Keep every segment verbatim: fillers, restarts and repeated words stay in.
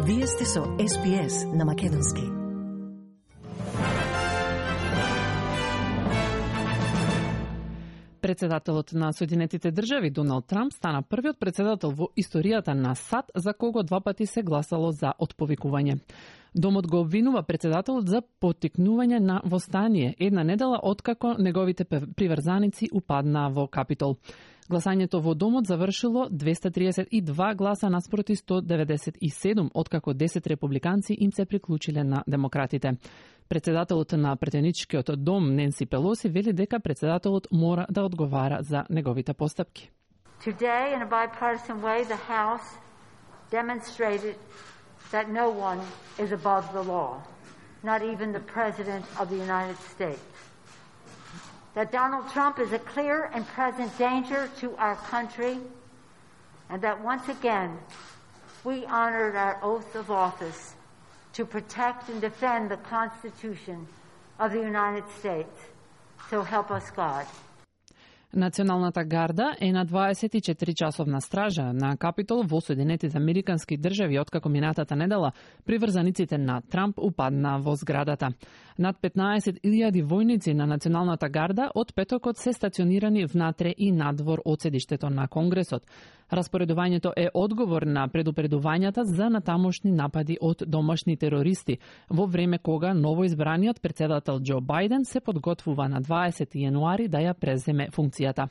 Вие сте со Ес Би Ес на македонски. Председателот на Соединетите држави Доналд Трамп стана првиот председател во историјата на САД за кого два пати се гласало за отповикување. Домот го обвинува председателот за поттикнување на востание една недела откако неговите приврзаници упаднаа во Капитол. Гласањето во Домот завршило двеста триесет и два гласа наспроти сто деветдесет и седум, откако десет републиканци им се приклучиле на демократите. Председателот на претеничкиот дом Ненси Пелоси вели дека председателот мора да одговара за неговите постапки. Today, in a bipartisan way, the House demonstrated that no one is above the law, not even the President of the United States. That Donald Trump is a clear and present danger to our country, and that once again we honored our oath of office to protect and defend the Constitution of the United States. So help us God. Националната гарда е на дваесет и четири часовна стража на Капитол во Соединетите Американски држави откако минатата недела приврзаниците на Трамп упаднаа во зградата. Над петнаесет илјади војници на Националната гарда од петокот се стационирани внатре и надвор од седиштето на Конгресот. Распоредувањето е одговор на предупредувањата за натамошни напади од домашни терористи, во време кога новоизбраниот председател Џо Бајден се подготвува на дваесети јануари да ја преземе функцијата.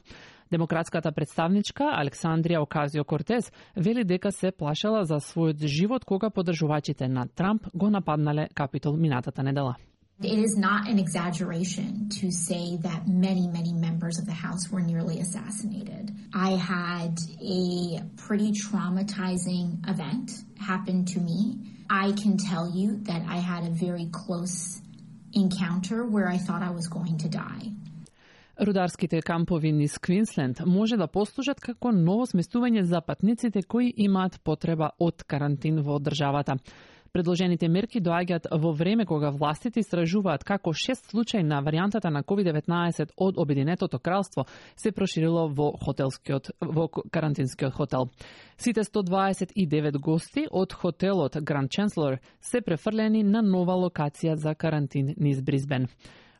Демократската представничка Александрија Оказио-Кортес вели дека се плашала за својот живот кога поддржувачите на Трамп го нападнале Капитол минатата недела. It is not an exaggeration to say that many, many members of the House were nearly assassinated. I had a pretty traumatizing event happen to me. I can tell you that I had a very close encounter where I thought I was going to die. Рударските кампови низ Квинсленд може да послужат како ново сместување за патниците кои имаат потреба од карантин во државата. Предложените мерки доаѓаат во време кога властите истражуваат како шест случаи на варијантата на ковид деветнаесет од Обединетото кралство се проширило во хотелскиот во карантинскиот хотел. Сите сто дваесет и девет гости од хотелот Grand Chancellor се префрлени на нова локација за карантин низ Брисбен.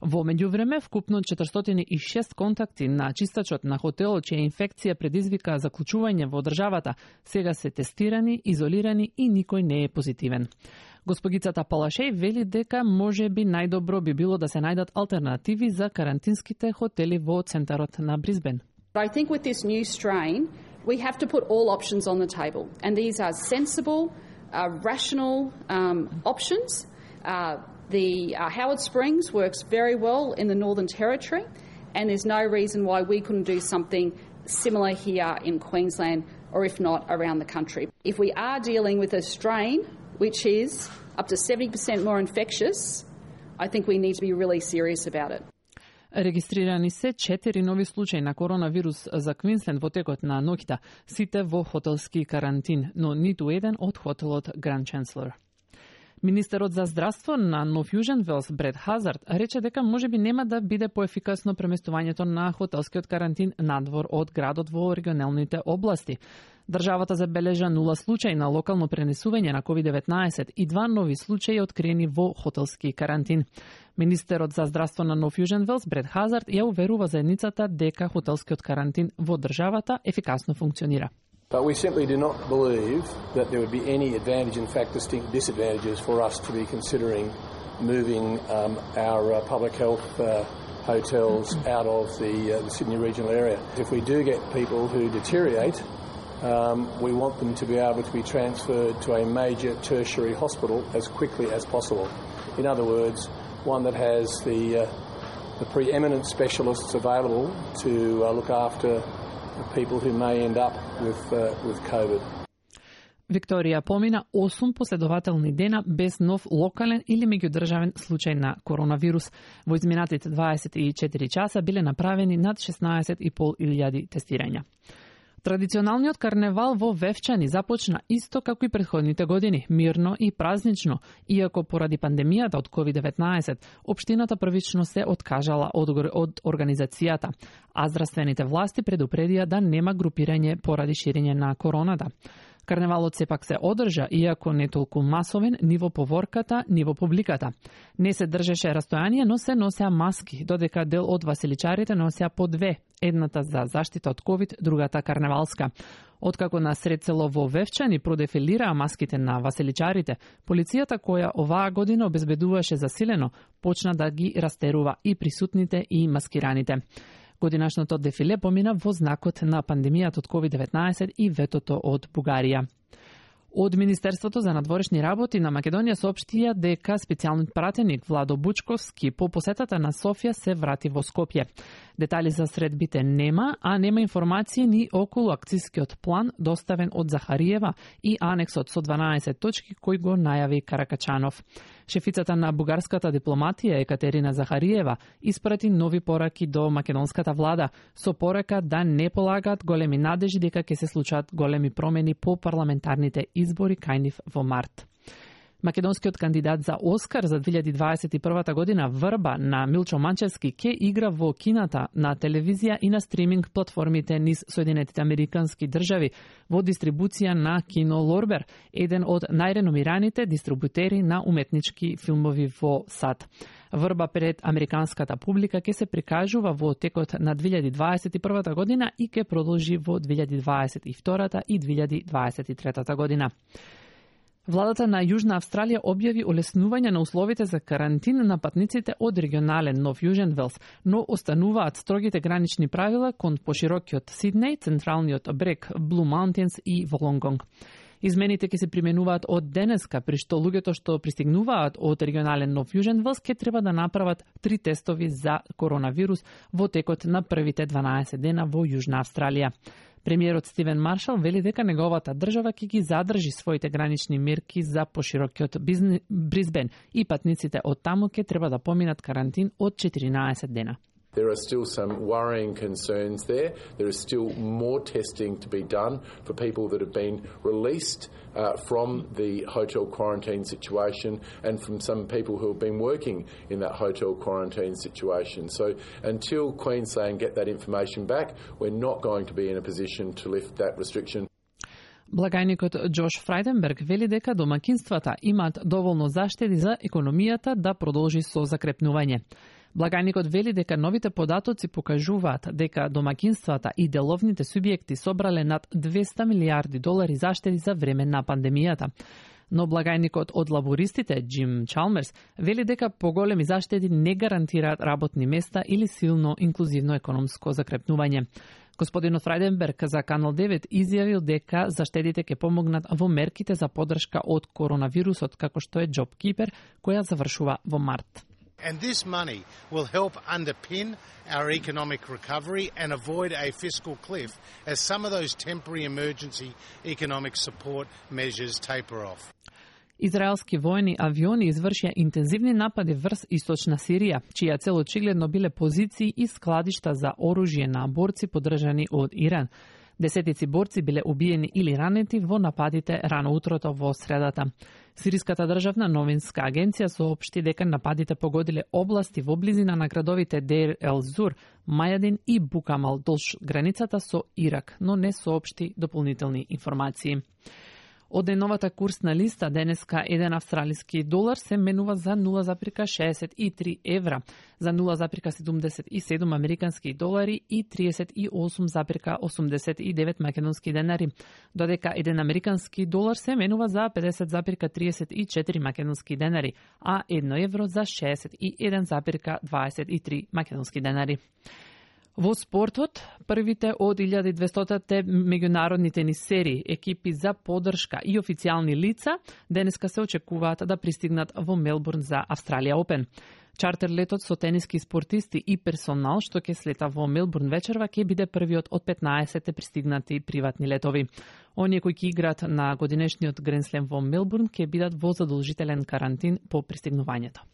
Во меѓувреме, вкупно четиристотини и шест контакти на чистачот на хотелот чија инфекција предизвика заклучување во државата, сега се тестирани, изолирани и никој не е позитивен. Госпогицата Палашеј вели дека може би најдобро би било да се најдат алтернативи за карантинските хотели во центарот на Брисбен. I think with this new strain, we have to put all options on the table, and these are sensible, uh, rational um, options. Uh, The uh, Howard Springs works very well in the Northern Territory, and there's no reason why we couldn't do something similar here in Queensland, or if not, around the country. If we are dealing with a strain which is up to seventy percent more infectious, I think we need to be really serious about it. Регистрирани се четири нови случаи на коронавирус за Квинсленд во текот на ноќта, сите во хотелски карантин, но ниту еден од хотелот Grand Chancellor. Министерот за здравство на Нов Јужен Велс Бред Хазард рече дека можеби нема да биде поефикасно преместувањето на хотелскиот карантин надвор од градот во регионалните области. Државата забележа нула случаи на локално пренесување на ковид деветнаесет и два нови случаи откриени во хотелски карантин. Министерот за здравство на Нов Јужен Велс Бред Хазард ја уверува заедницата дека хотелскиот карантин во државата ефикасно функционира. But we simply do not believe that there would be any advantage, in fact distinct disadvantages for us to be considering moving um, our uh, public health uh, hotels out of the, uh, the Sydney regional area. If we do get people who deteriorate, um, we want them to be able to be transferred to a major tertiary hospital as quickly as possible. In other words, one that has the, uh, the preeminent specialists available to uh, look after people who may end up with, uh, with COVID. Викторија помина осум последователни дена без нов локален или меѓудржавен случај на коронавирус. Во изминатите дваесет и четири часа биле направени над шеснаесет и пол илјади тестирања. Традиционалниот карневал во Вевчани започна исто како и претходните години, мирно и празнично, иако поради пандемијата од ковид деветнаесет, општината првично се откажала од, од организацијата, а здравствените власти предупредија да нема групирање поради ширење на короната. Карневалот сепак се одржа, иако не толку масовен, ни во поворката, ни во публиката. Не се држеше растојание, но се носеа маски, додека дел од васеличарите носеа по две, едната за заштита од ковид, другата карневалска. Откако на сред село во Вевчани продефилираа маските на васеличарите, полицијата која оваа година обезбедуваше засилено, почна да ги растерува и присутните и маскираните. Годинашното дефиле помина во знакот на пандемијата од ковид деветнаесет и ветото од Бугарија. Од Министерството за надворешни работи на Македонија соопштија дека специјалниот пратеник Владо Бучковски по посетата на Софија се врати во Скопје. Детали за средбите нема, а нема информации ни околу акцискиот план доставен од Захариева и анексот со дванаесет точки кој го најави Каракачанов. Шефицата на бугарската дипломатија Екатерина Захариева испрати нови пораки до македонската влада со порака да не полагаат големи надежи дека ќе се случат големи промени по парламентарните избори кај нив во март. Македонскиот кандидат за Оскар за две илјади дваесет и прва година Врба на Милчо Манчевски ќе игра во кината, на телевизија и на стриминг платформите низ Соединетите Американски држави во дистрибуција на Кино Лорбер, еден од најреномираните дистрибутери на уметнички филмови во САД. Врба пред американската публика ќе се прикажува во текот на две илјади дваесет и прва година и ќе продолжи во две илјади дваесет и втора и две илјади дваесет и трета година. Владата на Јужна Австралија објави олеснување на условите за карантин на патниците од регионален Нов Јужен Велс, но остануваат строгите гранични правила кон поширокиот Сиднеј, централниот брег, Блу Маунтинс и Волонгонг. Измените ќе се применуваат од денеска, при што луѓето што пристигнуваат од регионален Нов Јужен Велс ќе треба да направат три тестови за коронавирус во текот на првите дванаесет дена во Јужна Австралија. Премиерот Стивен Маршал вели дека неговата држава ќе ги задржи своите гранични мерки за поширокиот Бризбен и патниците од таму ќе треба да поминат карантин од четиринаесет дена. There are still some worrying concerns there. There is still more testing to be done for people that have been released uh, from the hotel quarantine situation and from some people who have been working in that hotel quarantine situation. So until Queensland get that information back, we're not going to be in a position to lift that restriction. Благајникот Джош Фрајденберг вели дека домакинствата имаат доволно заштеди за економијата да продолжи со закрепнување. Благајникот вели дека новите податоци покажуваат дека домакинствата и деловните субјекти собрале над двеста милијарди долари заштеди за време на пандемијата. Но благајникот од лабористите, Джим Чалмерс, вели дека поголеми заштеди не гарантираат работни места или силно инклузивно економско закрепнување. Господинот Фрајденберг за Канал девет изјавил дека заштедите ќе помогнат во мерките за поддршка од коронавирусот, како што е JobKeeper, која завршува во март. And this money will help underpin our economic recovery and avoid a fiscal cliff as some of those temporary emergency economic support measures taper off. Израелски воени авиони извршија интензивни напади врз источна Сирија, чија цел очигледно биле позиции и складишта за оружје на борци поддржани од Иран. Десетици борци биле убиени или ранети во нападите рано утрото во средата. Сириската државна новинска агенција соопшти дека нападите погодиле области во близина на градовите Дейр ел Зур, Мајадин и Букамал долж границата со Ирак, но не соопшти дополнителни информации. Од деновата курсна листа денеска еден австралиски долар се менува за нула запирка шеесет и три евра, за нула запирка седумдесет и седум американски долари и триесет и осум запирка осумдесет и девет македонски денари, додека еден американски долар се менува за педесет запирка триесет и четири македонски денари, а едно евро за шеесет и еден запирка дваесет и три македонски денари. Во спортот, првите од илјада и двестотите меѓународни тенис серии, екипи за поддршка и официјални лица денеска се очекуваат да пристигнат во Мелбурн за Австралија Опен. Чартер летот со тениски спортисти и персонал што ќе слета во Мелбурн вечерва ќе биде првиот од петнаесет пристигнати приватни летови. Оние кои ќе играат на годинешниот Гренслем во Мелбурн ќе бидат во задолжителен карантин по пристигнувањето.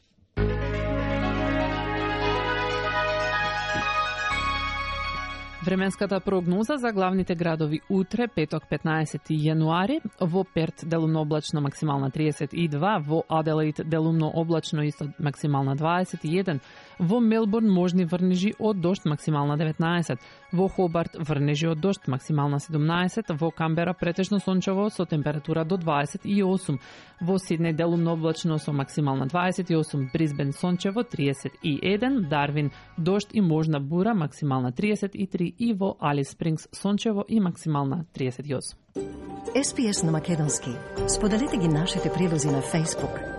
Временската прогноза за главните градови утре, петок петнаесети јануари, во Перт делумно облачно максимална триесет и два, во Аделаид делумно облачно исто максимална дваесет и еден, во Мелбурн можни врнежи од дожд максимална деветнаесет, Во Хобарт врнежи од дожд, максимална седумнаесет, во Камбера претежно сончево со температура до дваесет и осум, во Сиднеј делумно облачно со максимална дваесет и осум, Брисбен сончево триесет и еден, Дарвин дожд и можна бура, максимална триесет и три и во Алис Спрингс сончево и максимална триесет и осум. Ес Би Ес на македонски. Споделете ги нашите прилози на Facebook,